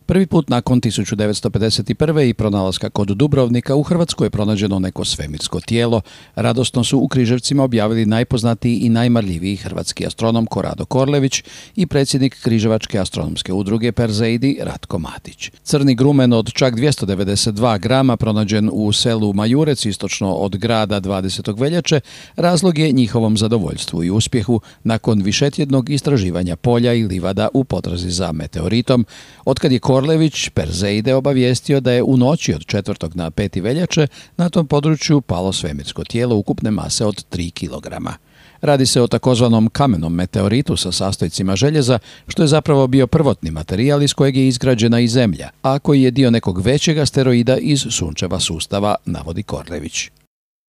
Prvi put nakon 1951. i pronalaska kod Dubrovnika u Hrvatskoj je pronađeno neko svemirsko tijelo. Radosno su u Križevcima objavili najpoznatiji i najmarljiviji hrvatski astronom Korado Korlević i predsjednik Križevačke astronomske udruge Perzeidi Ratko Matić. Crni grumen od čak 292 grama pronađen u selu Majurec istočno od grada 20. veljače razlog je njihovom zadovoljstvu i uspjehu nakon višetjednog istraživanja polja i livada u potrazi za meteoritom, otkad je Korlević Perzeide obavijestio da je u noći od 4. na 5. veljače na tom području palo svemirsko tijelo ukupne mase od 3 kilograma. Radi se o takozvanom kamenom meteoritu sa sastojcima željeza, što je zapravo bio prvotni materijal iz kojeg je izgrađena i Zemlja, a koji je dio nekog većeg asteroida iz Sunčeva sustava, navodi Korlević.